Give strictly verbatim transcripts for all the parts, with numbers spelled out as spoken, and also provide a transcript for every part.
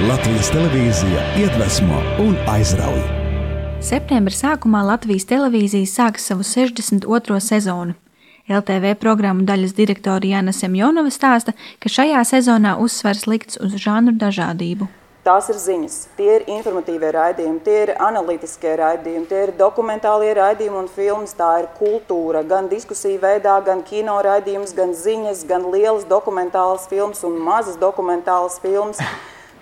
Latvijas televīzija iedvesmo un aizrauj. Septembra sākumā Latvijas televīzija sāks savu sešdesmit otro sezonu. L T V programmu daļas direktore Jana Semjonova stāsta, ka šajā sezonā uzsvers likts uz žanru dažādību. Tās ir ziņas, tie ir informatīvie raidījumi, tie ir analītiskie raidījumi, tie ir dokumentālie raidījumi un filmas, tā ir kultūra, gan diskusiju veidā, gan kino raidījums, gan ziņas, gan lielas dokumentālas filmas un mazas dokumentālas filmas.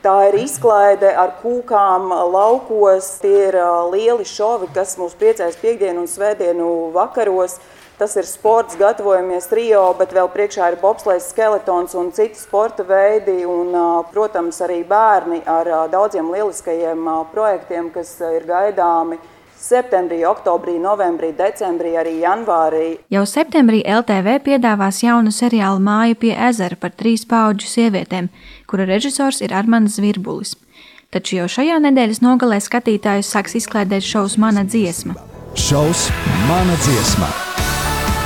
Tā ir izklaide ar kūkām laukos, tie ir lieli šovi, kas mūs priecēs piekdienu un svētdienu vakaros. Tas ir sports, gatavojamies Rio, bet vēl priekšā ir bobslejs, skeletons un citi sporta veidi un, protams, arī bērni ar daudziem lieliskajiem projektiem, kas ir gaidāmi septembrī, oktobrī, novembrī, decembrī, arī janvārī. Jau septembrī L T V piedāvās jaunu seriālu Māju pie ezera par trīs paudžu sievietēm, kura režisors ir Armands Zvirbulis. Taču jau šajā nedēļas nogalē skatītājus sāks izklaidēt šovs Mana dziesma. Šovs Mana dziesma.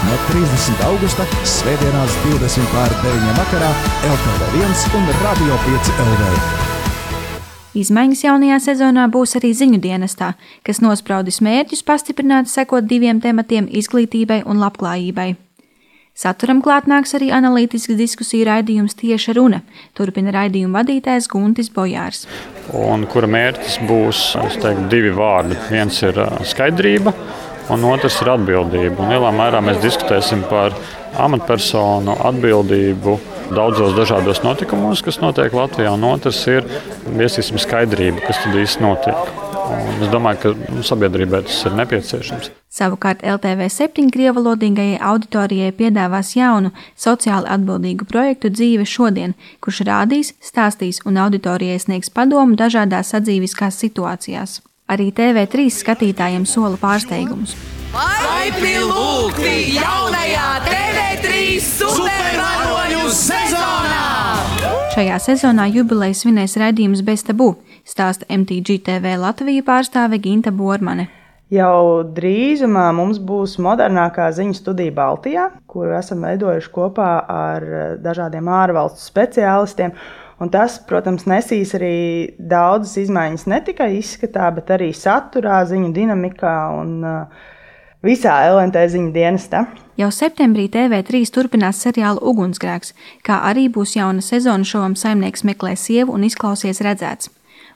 No trīsdesmitā augusta svētdienās divdesmit pār deviņiem vakarā L T V viens un Radio pieci L V. Izmaiņas jaunajā sezonā būs arī ziņu dienestā, kas nospraudis mērķus pastiprināt sekot diviem tematiem – izglītībai un labklājībai. Saturam klāt nāks arī analītisks diskusiju raidījums Tieša runa, turpina raidījuma vadītājs Guntis Bojārs. Un kura mērķis būs, es teiktu, divi vārdi. Viens ir skaidrība, un otrs ir atbildība. Un lielā mērā mēs diskutēsim par amatpersonu atbildību daudzos dažādos notikumos, kas notiek Latvijā, un otrs ir viesīsim skaidrība, kas tad īsti notiek. Un es domāju, ka sabiedrībai tas ir nepieciešams. Savukārt L T V septiņi krievalodīgajai auditorijai piedāvās jaunu, sociāli atbildīgu projektu Dzīve šodien, kurš rādīs, stāstīs un auditorijai sniegs padomu dažādās sadzīviskās situācijās. Arī T V trīs skatītājiem sola pārsteigumus. Laipni lūgti jaunajā T V trīs supervaroņu sezonā! Šajā sezonā jubileju svinēs raidījums Bez tabu, stāsta M T G T V Latvija pārstāve Ginta Bormane. Jau drīzumā mums būs modernākā ziņu studija Baltijā, kuru esam veidojuši kopā ar dažādiem ārvalstu speciālistiem. Un tas, protams, nesīs arī daudzas izmaiņas ne tikai izskatā, bet arī saturā, ziņu dinamikā un visā L N T ziņu dienestā. Jau septembrī T V trīs turpinās seriālu Ugunsgrēks, kā arī būs jauna sezona šovam Saimnieks meklē sievu un izklausies redzēts.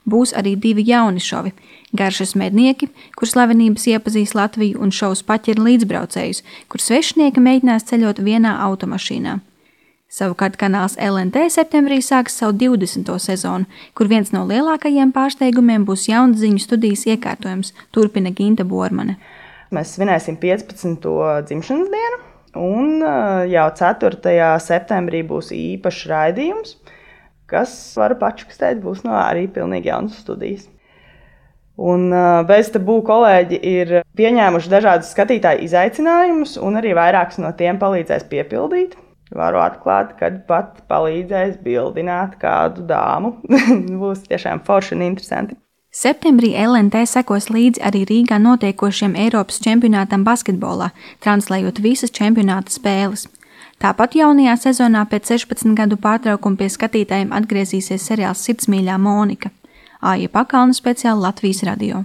Būs arī divi jauni šovi – Garšas mednieki, kur slavenības iepazīs Latviju, un šovs Paķeri līdzbraucējus, kur svešinieki mēģinās ceļot vienā automašīnā. Savukārt kanāls L N T septembrī sāks savu divdesmito sezonu, kur viens no lielākajiem pārsteigumiem būs jauns ziņu studijas iekārtojums, turpina Ginta Bormane. Mēs svinēsim piecpadsmito dzimšanas dienu, un jau ceturtajā septembrī būs īpašs raidījums, kas, varu pačukstēt, būs no arī pilnīgi jaunas studijas. Un Bez tabu kolēģi ir pieņēmuši dažādus skatītāju izaicinājumus, un arī vairākus no tiem palīdzēs piepildīt. Varu atklāt, kad pat palīdzēs bildināt kādu dāmu. Būs tiešām forši un interesanti. Septembrī L N T sekos līdzi arī Rīgā notiekošiem Eiropas čempionātam basketbolā, translējot visas čempionāta spēles. Tāpat jaunajā sezonā pēc sešpadsmit gadu pārtraukuma pie skatītājiem atgriezīsies seriāls Sirdsmīļā Monika. Aija Pakalna speciāli Latvijas radio.